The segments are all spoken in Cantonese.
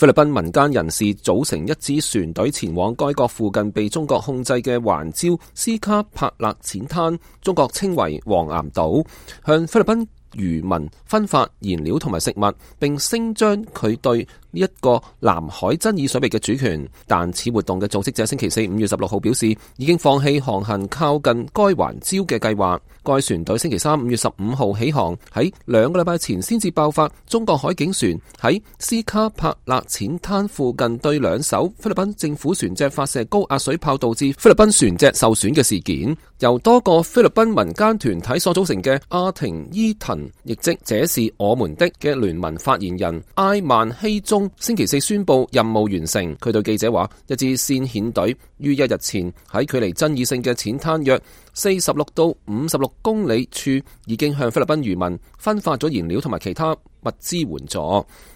菲律賓民間人士組成一支船隊前往該國附近被中國控制嘅環礁斯卡帕勒淺灘，中國稱為黃岩島，向菲律賓漁民分發燃料同埋食物，並聲張佢對呢一個南海爭議水域嘅主權。但此活動嘅組織者星期四5月16號表示，已經放棄航行靠近該環礁嘅計劃。該船隊星期三5月15號起航，喺2個禮拜前先至爆發中國海警船喺斯卡帕勒淺灘附近對2艘菲律賓政府船隻發射高壓水炮，導致菲律賓船隻受損嘅事件。由多個菲律賓民間團體所組成嘅阿廷伊騰，亦即這是我們的嘅聯盟發言人埃曼希宗星期四宣布任務完成。佢對記者話，一支先遣隊於1日前喺距離爭議性嘅淺灘約46到56公里處已經向菲律賓漁民分發咗燃料同埋其他物資援助。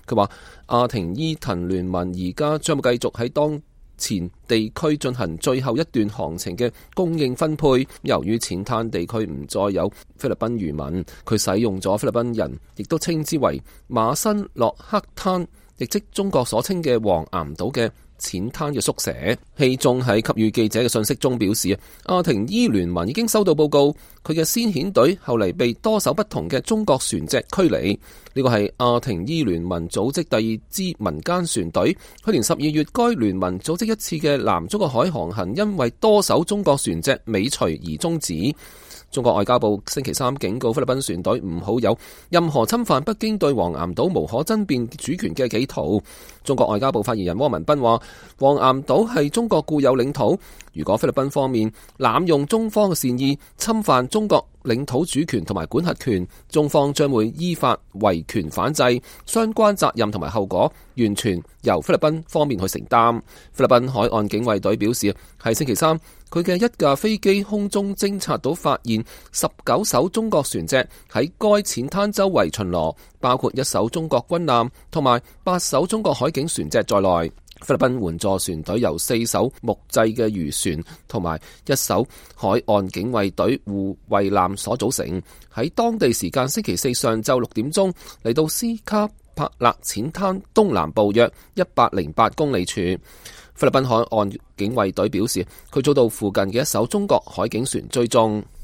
佢話阿廷伊騰聯盟而家將會繼續喺當前地區進行最後一段航程嘅供應分配。由於淺灘地區唔再有菲律賓漁民，佢使用咗菲律賓人亦都稱之為馬辛洛克灘，亦即中國所稱嘅黃岩島嘅淺灘嘅縮寫。希宗喺給予記者嘅信息中表示，阿廷伊聯盟已經收到報告，佢嘅先遣隊後嚟被多艘不同嘅中國船隻驅離。呢個係阿廷伊聯盟組織第2支民間船隊。去年12月，該聯盟組織一次嘅南中國海航行，因為多艘中國船隻尾隨而終止。中國外交部星期三警告菲律賓船隊唔好有任何侵犯北京對黃岩島無可爭辯主權嘅企圖。中國外交部發言人汪文斌話，黃岩島係中國固有領土，如果菲律賓方面濫用中方嘅善意，侵犯中國領土主權同埋管轄權，中方將會依法維權反制，相關責任同埋後果完全由菲律賓方面去承擔。菲律賓海岸警衛隊表示，喺星期三，佢嘅一架飛機空中偵察到發現19艘中國船隻喺該淺灘周圍巡邏，包括1艘中國軍艦同埋8艘中國海警船隻在內。菲律賓援助船隊由4艘木製嘅漁船同埋1艘海岸警衛隊護衛艦所組成，喺當地時間星期四上晝6點鐘嚟到斯卡帕勒淺灘東南部約108公里處。菲律賓海岸警衛隊表示，佢遭到附近嘅1艘中國海警船追蹤。